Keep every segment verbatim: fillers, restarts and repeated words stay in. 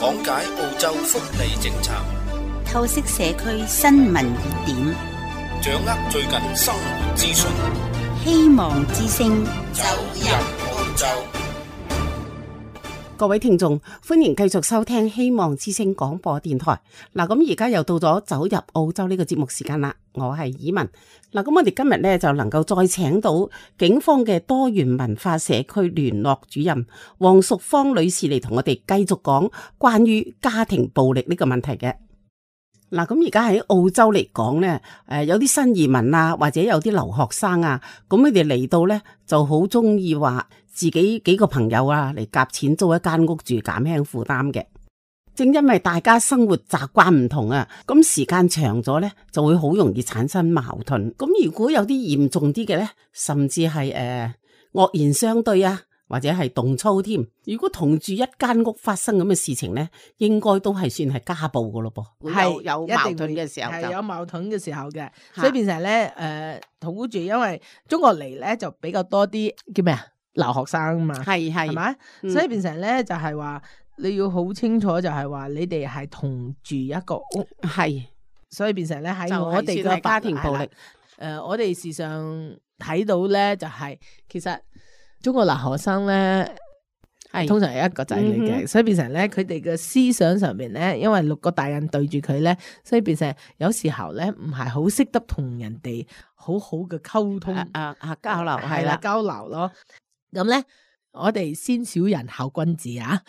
講解澳洲福利政策，透析社區新聞熱點，掌握最近生活資訊，希望之聲走入澳洲。各位聽眾，歡迎繼續收聽希望之聲廣播電台。嗱，咁而家又到咗走入澳洲呢個節目時間啦。我係以文。嗱，咁我哋今日咧就能夠再請到警方嘅多元文化社區聯絡主任黃淑芳女士嚟同我哋繼續講關於家庭暴力呢個問題嘅。嗱，咁而家喺澳洲嚟講咧，誒有啲新移民啊，或者有啲留學生啊，咁佢哋嚟到咧就好中意話自己幾個朋友啊嚟夾錢租一間屋住，減輕負擔嘅。正因為大家生活習慣唔同啊，咁時間長咗咧，就會好容易產生矛盾。咁如果有啲嚴重啲嘅咧，甚至係誒惡言相對啊，或者係動粗添。如果同住一間屋發生咁嘅事情咧，應該都係算係家暴噶咯噃。係有矛盾嘅時候，係有矛盾嘅時候嘅，所以變成咧誒同住，因為中國嚟咧就比較多啲叫咩啊留學生嘛，係係係咪？嗯、所以變成咧就係、是、話你要好清楚，就係話你哋係同住一個屋，係，所以變成咧喺我哋嘅家庭暴力，誒、呃、我哋時常睇到咧就係、是、其實。中國留學生咧，係通常係一個仔女嘅，嗯、所以變成咧佢哋嘅思想上面咧，因為六個大人對住佢咧，所以變成有時候咧唔係好識得同人哋好好嘅溝通啊啊交流係啦交流咯，咁咧。我哋先小人後君子啊，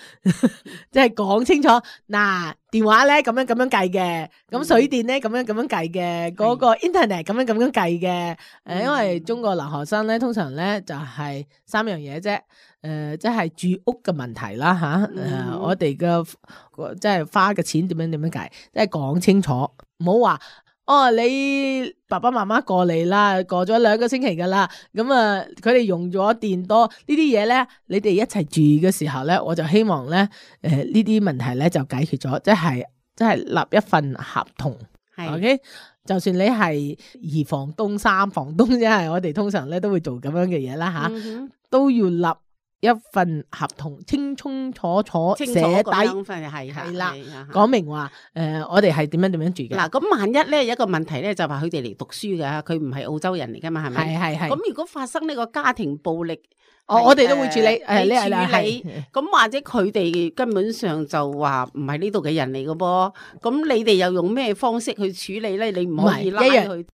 即係講清楚嗱，電話咧咁樣咁樣計嘅，咁水電咧咁樣咁樣計嘅，嗰、嗯、個 internet 咁樣咁樣計嘅，誒、嗯，因為中國留學生咧通常咧就係、是、三樣嘢啫，誒、呃，即係住屋嘅問題啦吓，誒、嗯呃，我哋嘅即係花嘅錢點樣點樣計，即係講清楚，唔好話。哦，你爸爸媽媽過嚟啦，過咗兩個星期噶啦，咁啊，佢哋用咗電多呢啲嘢咧，你哋一齊住嘅時候咧，我就希望咧，誒呢啲問題咧就解決咗，即係即係立一份合同係，OK，就算你係二房東、三房東，即係我哋通常咧都會做咁樣嘅嘢啦吓，嗯、哼都要立。一份合同清清楚楚寫底，係係啦，講明話誒、呃，我哋係點樣點樣住嘅。嗱，咁萬一咧有一個問題咧，就話佢哋嚟讀書嘅，佢唔係澳洲人嚟噶嘛，係咪？係係係。咁如果發生呢個家庭暴力，哦，我哋都會處理，誒、呃，你處理。咁或者佢哋根本上就話唔係呢度嘅人嚟嘅噃，咁你哋又用咩方式去處理咧？你唔可以拉佢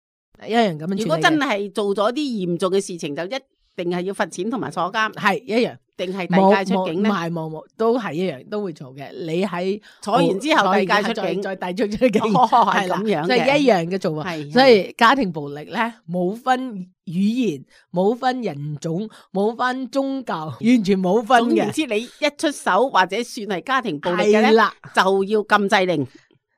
一樣咁樣處理。如果真係做咗啲嚴重嘅事情，就一。定係要罰錢同埋坐監，係一樣，定係遞解出境咧？唔係冇冇，都係一樣，都會做嘅。你喺坐完之後遞解出境，再遞出出境，係咁樣嘅，即係一樣嘅做法。所以家庭暴力咧，冇分語言，冇分人種，冇分宗教，完全冇分嘅。總言之，你一出手或者算係家庭暴力嘅咧，就要禁制令。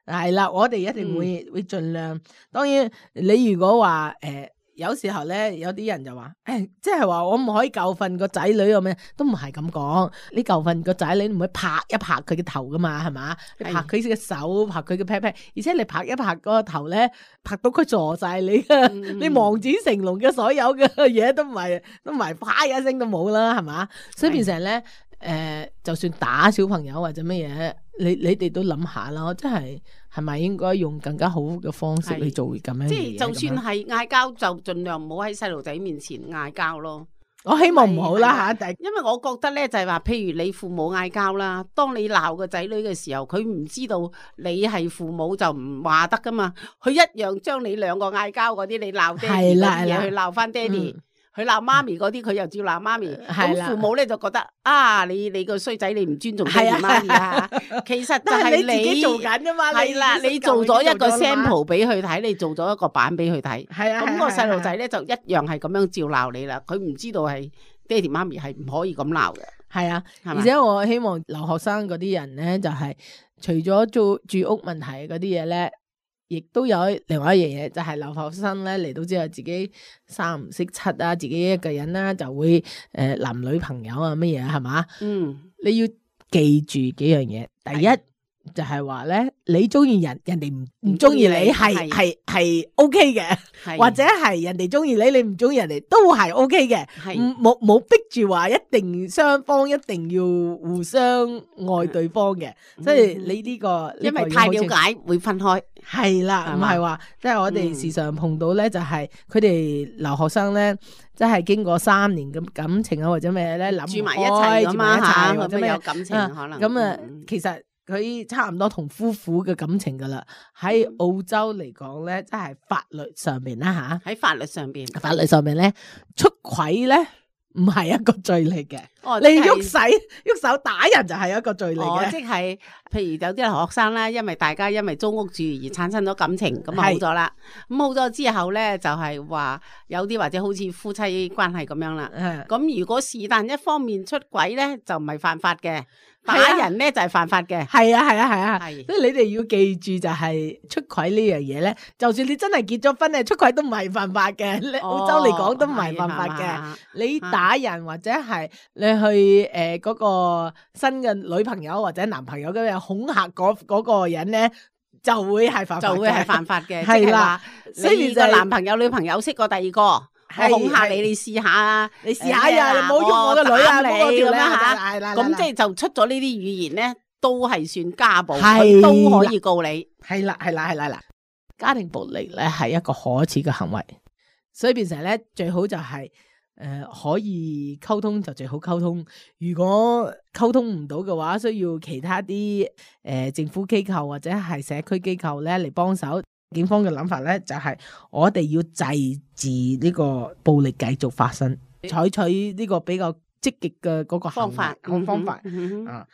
係啦，我哋一定會會盡量。當然，你如果話誒。有時候咧，有啲人就話，誒、欸，即係話我唔可以教訓個仔女咁樣，都唔係咁講。你教訓個仔女，你唔會拍一拍佢嘅頭噶嘛，係嘛？你拍佢嘅手，拍佢嘅屁屁，而且你拍一拍嗰個頭咧，拍到佢傻晒你啊！嗯、你望子成龍嘅所有嘅嘢都唔係，都唔係啪一聲都冇啦，係嘛？所以變成咧，誒、呃，就算打小朋友或者乜嘢，你你哋都諗下咯，即係。係咪應該用更加好嘅方式去做咁樣？即係就算係嗌交，就盡量唔好喺細路仔面前嗌交咯。我希望唔好啦吓，但係因為我覺得咧就係話，譬如你父母嗌交啦，當你鬧個仔女嘅時候，佢唔知道你係父母就唔話得噶嘛，佢一樣將你兩個嗌交嗰啲，你鬧爹哋嗰啲嘢去鬧翻爹哋。佢鬧媽咪嗰啲，佢又照鬧媽咪。咁父母咧就覺得啊，你你個衰仔，你唔尊重爹哋媽咪啊！其實就係你自己做緊噶嘛。係啦，你做咗一個 sample 俾佢睇，你做咗一個版俾佢睇。係啊，咁個細路仔咧就一樣係咁樣照鬧你啦。佢唔知道係爹哋媽咪係唔可以咁鬧嘅。係啊，而且我希望留學生嗰啲人咧，就係除咗做住屋問題嗰啲嘢咧。亦都有另外一樣嘢，就係、是、留學生咧嚟到之後，自己三唔識七啊，自己一個人啦，就會誒、呃、男女朋友啊乜嘢係嘛？嗯，你要記住幾樣嘢。第一是就係話咧，你中意人，人哋唔唔中意你係係係 O K 嘅，或者係人哋中意你，你唔中意人哋都係 O K 嘅，冇冇逼住話一定雙方一定要互相愛對方嘅，即係你呢個因為太了解會分開，係啦，唔係話即係我哋時常碰到咧，就係佢哋留學生咧，即係經過三年咁感情啊或者咩咧諗住埋一齊咁嘛吓，或者有感情可能咁啊，其實。佢差唔多同夫婦嘅感情噶啦，喺澳洲嚟講咧，即係法律上邊啦吓，喺法律上邊，法律上邊咧出軌咧唔係一個罪嚟嘅。哦，你喐手喐手打人就係一個罪嚟嘅。哦，即係譬如有啲學生啦，因為大家因為租屋住而產生咗感情，咁啊好咗啦。咁好咗之後咧，就係話有啲或者好似夫妻關係咁樣啦。咁、嗯、如果是但一方面出軌咧，就唔係犯法嘅。打人咧就係犯法嘅，係啊係啊係啊，所以你哋要記住就係出軌呢樣嘢咧，就算你真係結咗婚咧，出軌都唔係犯法嘅，你澳洲嚟講都唔係犯法嘅。你打人或者係你去誒嗰個新嘅女朋友或者男朋友咁樣恐嚇嗰嗰個人咧，就會係犯法，就會係犯法嘅。係啦，所以個男朋友女朋友識過第二個。我恐嚇你，你試下啊！你試下呀！你唔好喐我個女啊！你咁樣吓，咁即係就出咗呢啲語言咧，都係算家暴，佢都可以告你。係啦，係啦，係啦，嗱，家庭暴力咧係一個可恥嘅行為，所以變成咧最好就係誒可以溝通就最好溝通。如果溝通唔到嘅話，需要其他啲誒政府機構或者係社區機構咧嚟幫手。警方嘅諗法咧，就係我哋要制止呢個暴力繼續發生，採取呢個比較積極嘅嗰個方法，方法，方法、嗯、啊，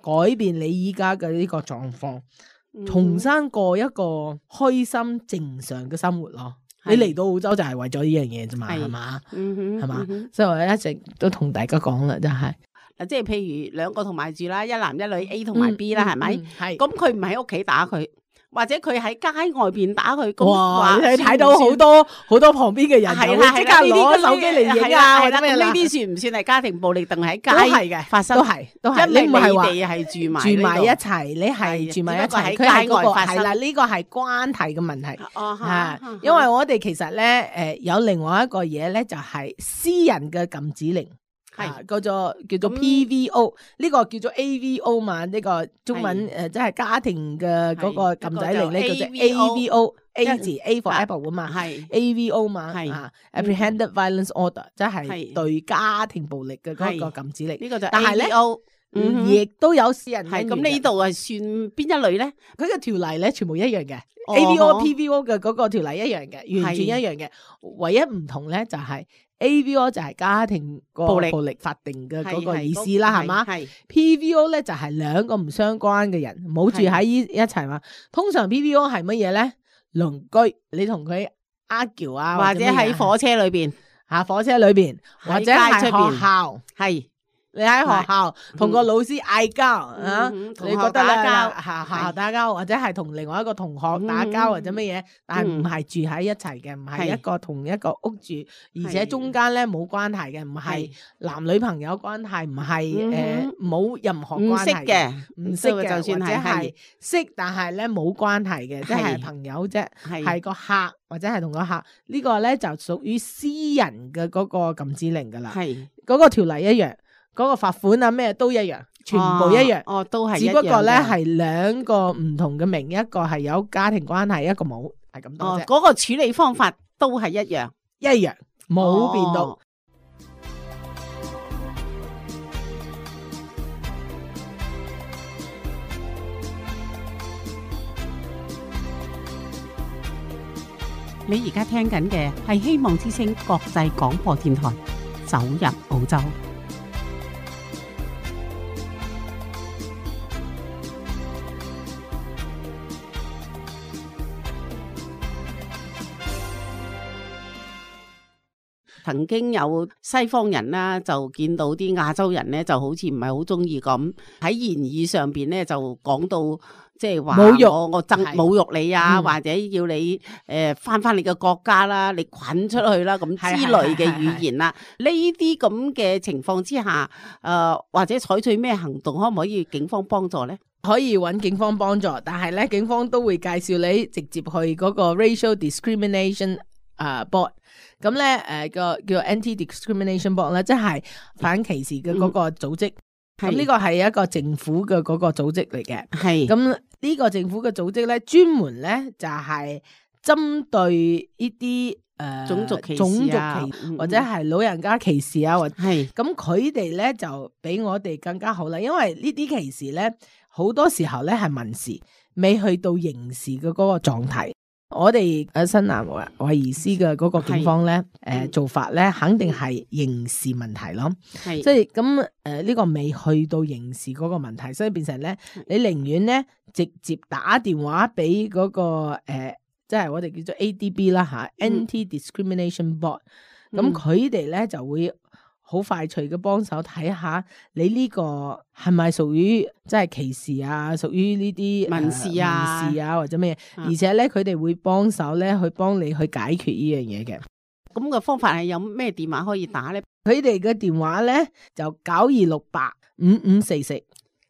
改變你依家嘅呢個狀況，重新過一個開心正常嘅生活咯。嗯、你嚟到澳洲就係為咗呢樣嘢啫嘛，係嘛，係嘛，所以我一直都同大家講啦，就係嗱，即係譬如兩個同埋住啦，一男一女 A 同埋 B 啦，係咪？係，咁佢唔喺屋企打佢。或者佢喺街外邊打佢，哇！你睇到好多好多旁邊嘅人，係啦，即刻攞手機嚟影啊，或者咩啦？呢啲算唔算係家庭暴力？定係喺街發生？都係，都係。因為你哋係住埋住埋一齊，你係住埋一齊，佢喺街外發生。係啦，呢個係關係嘅問題。哦，嚇，因為我哋其實咧，誒有另外一個嘢咧，就係私人嘅禁止令。係叫做叫做 P V O， 呢、嗯、個叫做 A V O 嘛，呢、這個中文誒即係家庭嘅嗰個禁制令咧，叫做 A V O，A 字 A for Apple 啊嘛，係 A V O 嘛，係啊 Apprehended Violence Order，即係對家庭暴力嘅嗰個禁止令。呢個就 A V O，嗯，亦都有私人係咁呢度係算邊一類咧？佢嘅條例咧全部一樣嘅、哦、，A V O、P V O 嘅嗰個條例一樣嘅，完全一樣嘅，唯一唔同咧就係、是。A V O 就係家庭暴力暴力法定嘅嗰個意思啦，係嘛？P V O 咧就係兩個唔相關嘅人，冇住喺一一齊嘛。通常 P V O 係乜嘢咧？鄰居，你同佢 argue 啊，或者喺火車裏邊吓，火車裏邊或者係學校係。你喺學校同個老師嗌交啊，你覺得打交吓學校打交，或者係同另外一個同學打交或者乜嘢，但係唔係住喺一齊嘅，唔係一個同一個屋住，而且中間咧冇關係嘅，唔係男女朋友關係，唔係誒冇任何關係嘅，唔識嘅，就算係識，但係咧冇關係嘅，即係朋友啫，係個客或者係同個客呢個咧就屬於私人嘅嗰個禁止令噶啦，係嗰個條例一樣。嗰個罰款啊咩都一樣，全部一樣，哦，哦都係，只不過咧係兩個唔同嘅名，一個係有家庭關係，一個冇，係咁多啫。嗰個處理方法都係一樣，一樣冇變到。哦、你而家聽緊嘅係希望之聲國際廣播電台，走入澳洲。曾經有西方人啦，就見到啲亞洲人咧，就好似唔係好中意咁喺言語上邊咧，就講到即係話侮辱我我憎侮辱你啊，嗯、或者要你誒翻翻你嘅國家啦，你滾出去啦咁之類嘅語言啦。呢啲咁嘅情況之下，誒、呃、或者採取咩行動，可唔可以警方幫助咧？可以揾警方幫助，但係咧警方都會介紹你直接去嗰個 Racial Discrimination 啊、uh, Board， 咁咧誒個叫 Anti-Discrimination Board 咧，即係反歧視嘅嗰個組織。咁呢個係一個政府嘅嗰個組織嚟嘅。係咁呢個政府嘅組織咧，專門咧就係、是、針對呢啲誒種族歧視、種族歧或者係老人家歧視啊，或係咁佢哋咧就比我哋更加好啦，因為呢啲歧視咧。好多時候咧係民事，未去到刑事嘅嗰個狀態。我哋誒新南威爾斯嘅嗰個警方咧，誒、呃、做法咧肯定係刑事問題咯。係，即係咁誒呢個未去到刑事嗰個問題，所以變成咧，你寧願咧直接打電話俾嗰、嗰個誒，即、呃、係、就是、我哋叫做 A D B 啦吓、嗯、Anti-Discrimination Board。咁佢哋咧就會。好快脆嘅幫手睇下你呢個係咪屬於即係歧視啊，屬於呢啲民事啊、民事啊或者咩嘢，而且咧佢哋會幫手咧去幫你去解決呢樣嘢嘅。咁個方法係有咩電話可以打咧？佢哋嘅電話咧就九二六八五五四四。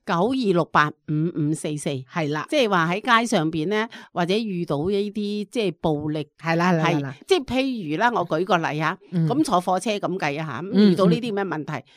九二六八五五四四係啦，即係話喺街上邊咧，或者遇到呢啲即係暴力係啦係啦，即係譬如啦，我舉個例吓，咁、嗯、坐火車咁計啊吓，咁遇到呢啲咩問題？嗯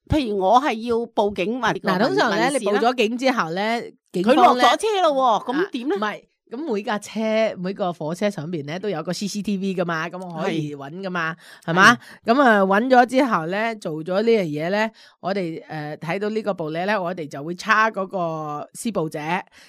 嗯、譬如我係要報警或者嗱，通常咧你報咗警之後咧，佢落咗車咯，咁點咧？唔係。咁每架車每個火車上邊咧都有個 C C T V 噶嘛，咁我可以揾噶嘛，係嘛？咁啊揾咗之後咧，做咗呢樣嘢咧，我哋誒睇到呢個暴力咧，我哋就會叉嗰個施暴者。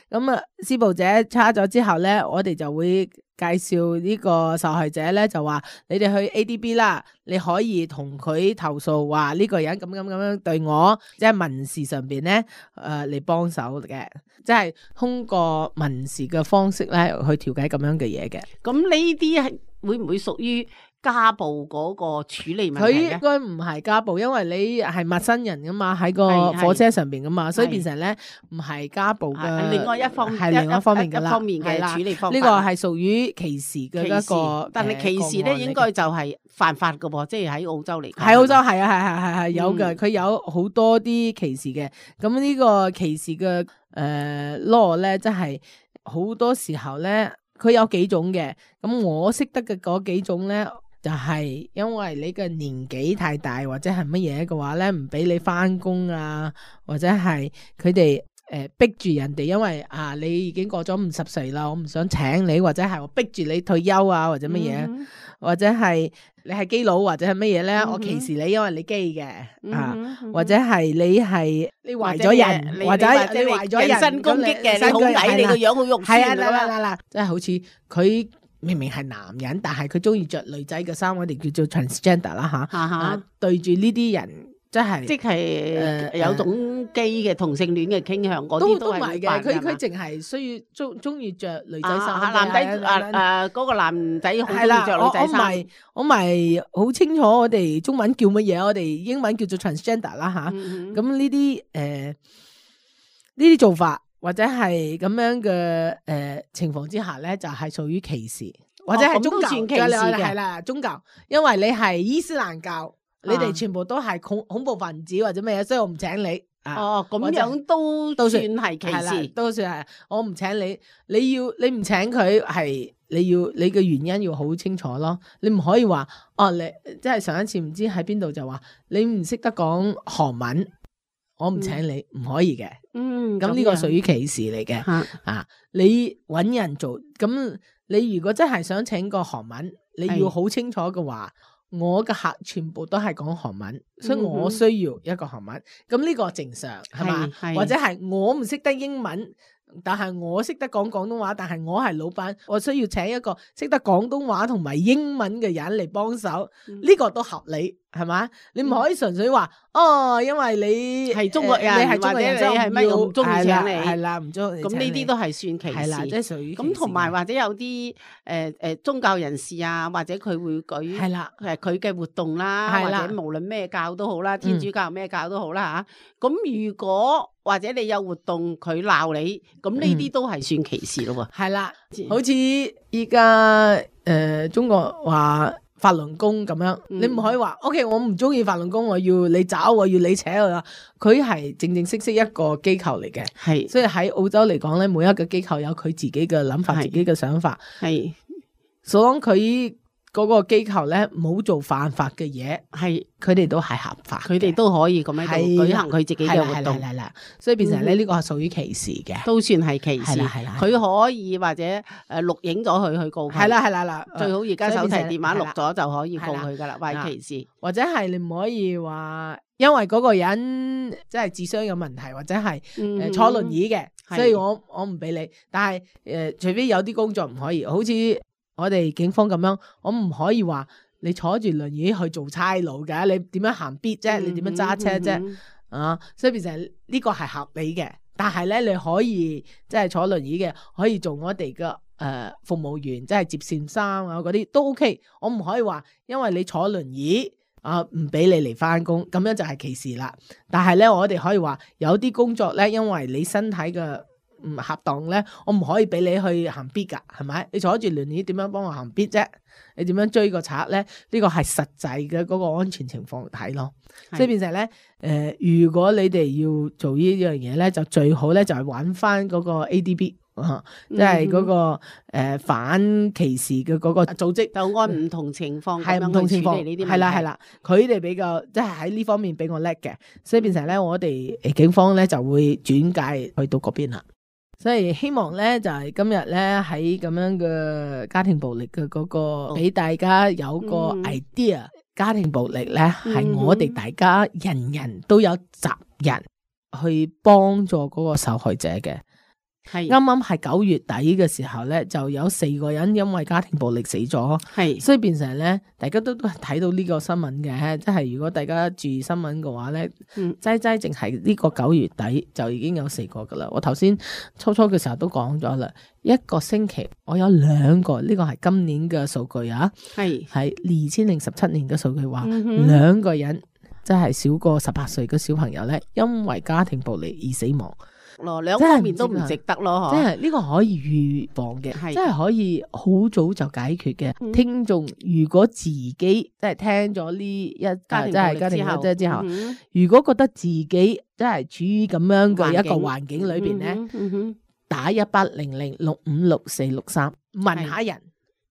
咁啊，施暴者叉咗之後咧，我哋就會介紹呢個受害者咧，就話你哋去 A D B 啦，你可以同佢投訴話呢個人咁咁咁樣對我，即係民事上邊咧誒嚟幫手嘅，即係通過民事嘅方式咧去調解咁樣嘅嘢嘅。咁呢啲係會唔會屬於家暴嗰個處理問題？佢應該唔係家暴，因為你係陌生人噶嘛，喺個火車上邊噶嘛，所以變成咧唔係家暴嘅。另外一方係另外一方面嘅啦，一方面嘅處理方法。呢個係屬於歧視嘅一個，但係歧視咧應該就係犯法噶喎，即係喺澳洲嚟。喺澳洲係啊係係係係有嘅，佢、嗯、有好多啲歧視嘅。咁呢個歧視嘅誒 law 咧，即係好多時候咧，佢有幾種嘅。咁我識得嘅嗰幾種咧。就係因為你嘅年紀太大或者係乜嘢嘅話咧，唔俾你翻工啊，或者係佢哋誒逼住人哋，因為啊你已經過咗五十歲啦，我唔想請你，或者係我逼住你退休啊，或者乜嘢、嗯，或者係你係基佬或者係乜嘢咧，我歧視你，因為你基嘅、嗯、啊、嗯，或者係你係你壞咗人，或者你壞咗人，人身攻擊嘅，你好矮，你個樣好肉酸啊，啦啦啦，即係好似佢。明明係男人，但係佢中意着女仔嘅衫，我哋叫做 transgender 啦、啊、吓、啊啊。對住呢啲人，即係即係誒有種基嘅同性戀嘅傾向，嗰啲都係嘅。佢佢淨係需要中中意着女仔衫、啊，男仔誒誒嗰個男仔好中意着女仔衫。我咪我咪好清楚，我哋中文叫乜嘢？我哋英文叫做 transgender 啦、啊、吓。咁呢啲誒呢啲做法。或者係咁樣嘅誒、呃、情況之下咧，就係、是、屬於歧視，或者係宗教歧視嘅，係啦，宗教，因為你係伊斯蘭教，啊、你哋全部都係恐恐怖分子或者咩嘢，所以我唔請你。哦，咁樣都都算係歧視，都算係，我唔請你，你要你唔請佢係你要你嘅原因要好清楚咯，你唔可以話哦，你即係上一次唔知喺邊度就話你唔識得講韓文。我唔請你，唔、嗯、可以嘅。嗯，咁呢個屬於歧視嚟嘅、嗯。啊，你揾人做，咁你如果真係想請個韓文，你要好清楚嘅話，我嘅客全部都係講韓文，所以我需要一個韓文。咁、嗯、呢個正常係嘛？或者係我唔識得英文，但係我識得講廣東話，但係我係老闆，我需要請一個識得廣東話同埋英文嘅人嚟幫手，呢、嗯、個都合理，係嘛？你唔可以純粹話、嗯、哦，因為你係中國人，呃、你係中國人，或者你係乜我唔中意請你，係啦，唔中意。咁呢啲都係算歧視，係啦，即係屬於咁。同埋或者有啲誒誒宗教人士啊，或者佢會舉係啦，誒佢嘅活動啦，或者無論咩教都好啦，天主教咩教都好啦嚇。咁、嗯、如果或者你有活動佢鬧你，咁呢啲都係算歧視咯喎。係啦，好似依家誒中國話法輪功咁樣，嗯、你唔可以話 O K， 我唔中意法輪功，我要你找，我要你扯我。佢係正正式式一個機構嚟嘅，係，所以喺澳洲嚟講咧，每一個機構有佢自己嘅諗法，自己嘅想法，係，所以佢嗰個機構咧冇做犯法嘅嘢，係佢哋都係合法，佢哋都可以咁樣舉行佢自己嘅活動，係啦，所以變成咧呢個係屬於歧視嘅，都算係歧視，係啦，佢可以或者誒錄影咗佢去告佢，係啦係啦啦，最好而家手提電話錄咗就可以告佢噶啦，話歧視，或者係你唔可以話因為嗰個人即係智商有問題，或者係誒坐輪椅嘅，所以我我唔俾你，但係誒除非有啲工作唔可以，好似我哋警方咁樣，我唔可以話你坐住輪椅去做差佬嘅，你點樣行必啫？你點樣揸車啫？嗯嗯、啊，所以變成呢個係合理嘅。但係咧，你可以即係坐輪椅嘅，可以做我哋嘅誒服務員，即係接線生啊嗰啲都 OK。我唔可以話因為你坐輪椅啊唔俾你嚟翻工，咁樣就係歧視啦。但係咧，我哋可以話有啲工作咧，因為你身體嘅唔恰當咧，我唔可以俾你去行必噶，係咪？你坐住輪椅點樣幫我行必啫？你點樣追個賊咧？呢個係實際嘅嗰個安全情況睇咯。所以變成咧，誒、呃，如果你哋要做呢樣嘢咧，就最好咧就係揾翻嗰個 A D B， 啊，即係嗰個誒、呃、反歧視嘅嗰個組織，就按唔同情況係唔同情況呢啲，係啦係啦，佢哋比較即係喺呢方面比我叻嘅，所以變成咧我哋警方咧就會轉介去到嗰邊啦。所以希望咧就係、是、今日咧喺咁樣嘅家庭暴力嘅嗰、那個俾、哦、大家有個 idea，、嗯、家庭暴力咧係、嗯、我哋大家人人都有責任去幫助嗰個受害者嘅。係啱啱係九月底嘅時候咧，就有四個人因為家庭暴力死咗。係，所以變成咧，大家都都睇到呢個新聞嘅，即係如果大家注意新聞嘅話咧，嗯，齋齋淨係呢個九月底就已經有四個噶啦。我頭先初初嘅時候都講咗啦，一個星期我有兩個，呢、這個係今年嘅數據啊，係係二千零十七年嘅數據話，兩、嗯、個人即係少過十八歲嘅小朋友咧，因為家庭暴力而死亡。咯，兩方面都唔值得咯，即係呢個可以預防嘅，即係可以好早就解決嘅。嗯、聽眾如果自己即係聽咗呢一家庭暴力之後，即係之後，嗯、如果覺得自己即係處於咁樣嘅一個環境裏邊咧，嗯嗯嗯、打一八零零六五六四六三問下人，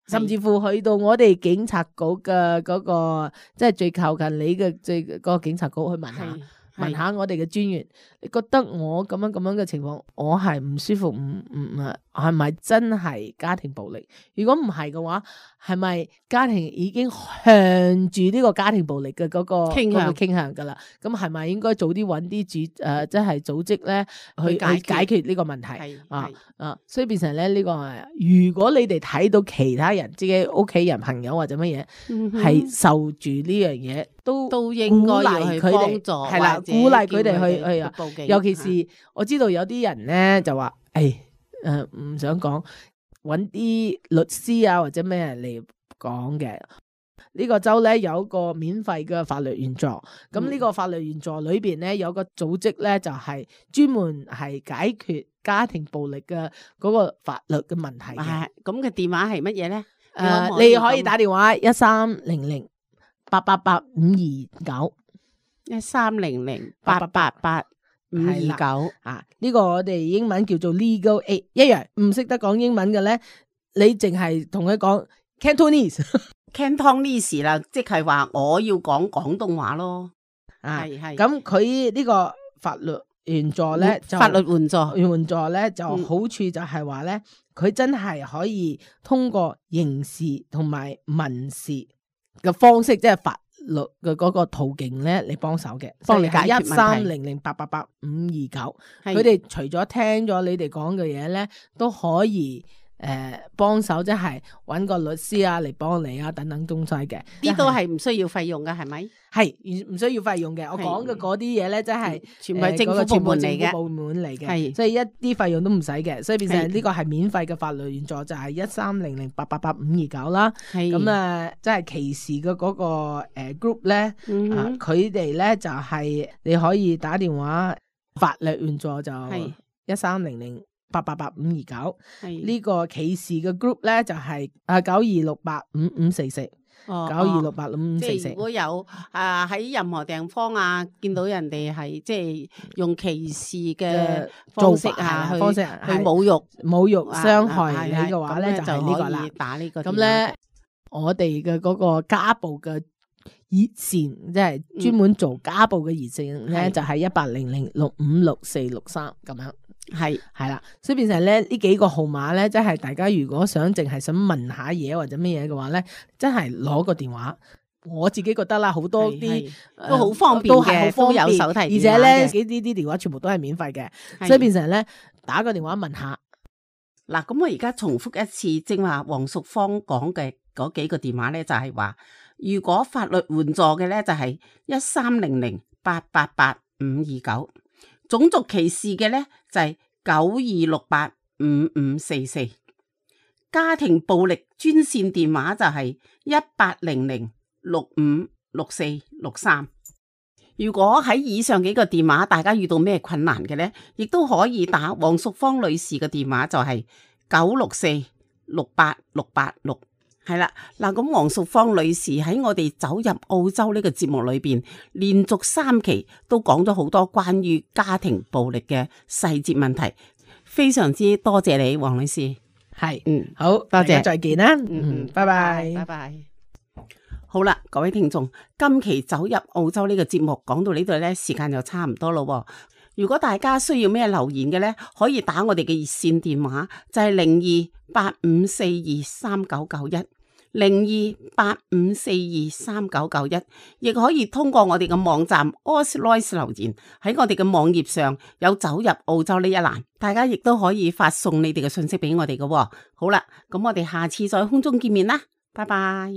甚至乎去到我哋警察局嘅嗰個即係最靠近你嘅最嗰個警察局去問下。問下我哋嘅專員，你覺得我咁樣咁樣嘅情況，我係唔舒服，唔唔啊，係咪真係家庭暴力？如果唔係嘅話，係咪家庭已經向住呢個家庭暴力嘅嗰個傾向傾向噶啦？咁係咪應該早啲揾啲組誒，即係組織咧去去解決呢個問題啊啊？所以變成咧呢個係，如果你哋睇到其他人自己屋企人、朋友或者乜嘢係受住呢樣嘢，都都應該要去幫助，係啦，鼓勵佢哋去去啊。尤其是我知道有啲人咧就話，誒誒唔想講，揾啲律師啊或者咩人嚟講嘅。呢個州咧有一個免費嘅法律援助，咁呢個法律援助裏邊咧有個組織咧就係專門係解決家庭暴力嘅嗰個法律嘅問題嘅。咁嘅電話係乜嘢咧？誒，你可以打電話一三零零八八八五二九一三零零八八八八五二九啊！呢個我哋英文叫做 Legal Aid， 一樣唔識得講英文嘅咧，你淨係同佢講 Cantonese，Cantonese 啦，即係話我要講廣東話咯。係係咁，佢呢個法律援助咧，法律援助援助咧就好處就係話咧，佢真係可以通過刑事同埋民事嘅方式，即係法律嘅嗰個途徑咧嚟幫手嘅，幫你解決問題。一三零零八八八五二九，佢哋除咗聽咗你哋講嘅嘢咧，都可以。誒，幫手即係揾個律師啊嚟幫你啊，等等東西嘅，呢都係唔需要費用嘅，係咪？係唔唔需要費用嘅。我講嘅嗰啲嘢咧，即係全部係政府部門嚟嘅，部門嚟嘅，係所以一啲費用都唔使嘅，所以變成呢個係免費嘅法律援助，就係一三零零八八八五二九啦。咁啊，即係歧視嘅嗰個誒 group 咧，佢哋咧就係你可以打電話法律援助就一三零零。八八八五二九，呢個歧視嘅 group 咧就係啊九二六八五五四四，九二六八五五四四。即係如果有啊喺任何地方啊，見到人哋係即係用歧視嘅方式啊，方式去侮辱、侮辱、傷害你嘅話咧，就係呢個啦。打呢個。咁咧，我哋嘅嗰個家暴嘅熱線，即係專門做家暴嘅熱線咧，就係一八零零六五六四六三咁樣。係係啦，所以變成咧呢幾個號碼咧，即係大家如果想淨係想問下嘢或者乜嘢嘅話咧，真係攞個電話。我自己覺得啦，好多啲都好方便嘅，都有手提電話，而且咧呢啲啲電話全部都係免費嘅，所以變成咧打個電話問下。嗱，咁我而家重複一次，正話黃淑芳講嘅嗰幾個電話咧，就係話如果法律援助嘅咧，就係一三零零八八八五二九。種族歧視嘅咧就係九二六八五五四四，家庭暴力專線電話就係一八零零六五六四六三。如果喺以上幾個電話大家遇到咩困難嘅咧，亦都可以打黃淑芳女士嘅電話就係九六四六八六八六。係啦，嗱，咁黃淑芳女士喺我哋走入澳洲呢個節目裏邊，連續三期都講咗好多關於家庭暴力嘅細節問題，非常之多謝你，黃女士。係，嗯，好，多謝，再見啦，嗯，拜拜，拜拜。好啦，各位聽眾，今期走入澳洲呢個節目講到呢度咧，時間就差唔多咯。如果大家需要咩留言嘅咧，可以打我哋嘅熱線電話，就係零二八五四二三九九一。零二八五四二三九九一，亦可以通過我哋嘅網站 Ausloice 留言，喺我哋嘅網頁上有走入澳洲呢一欄，大家亦都可以發送你哋嘅信息俾我哋嘅。好啦，咁我哋下次再空中見面啦，拜拜。